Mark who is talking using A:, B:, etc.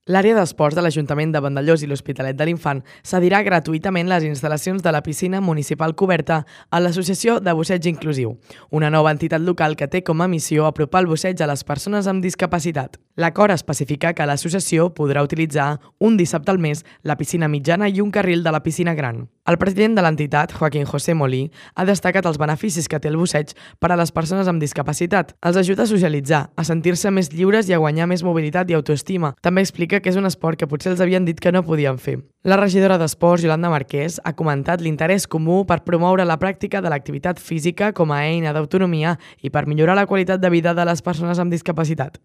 A: L'àrea d'esports de l'Ajuntament de Vandellòs i l'Hospitalet de l'Infant cedirà gratuïtament les instal·lacions de la piscina municipal coberta a l'Associació de Busseig Inclusiu, una nova entitat local que té com a missió apropar el busseig a les persones amb discapacitat. L'acord especifica que l'associació podrà utilitzar un dissabte al mes la piscina mitjana i un carril de la piscina gran. El president de l'entitat, Joaquín José Molí, ha destacat els beneficis que té el busseig per a les persones amb discapacitat. Els ajuda a socialitzar, a sentir-se més lliures i a guanyar més mobilitat i autoestima. També explica que és un esport que potser els havien dit que no podien fer. La regidora d'Esports, Yolanda Marquès, ha comentat l'interès comú per promoure la pràctica de l'activitat física com a eina d'autonomia i per millorar la qualitat de vida de les persones amb discapacitat.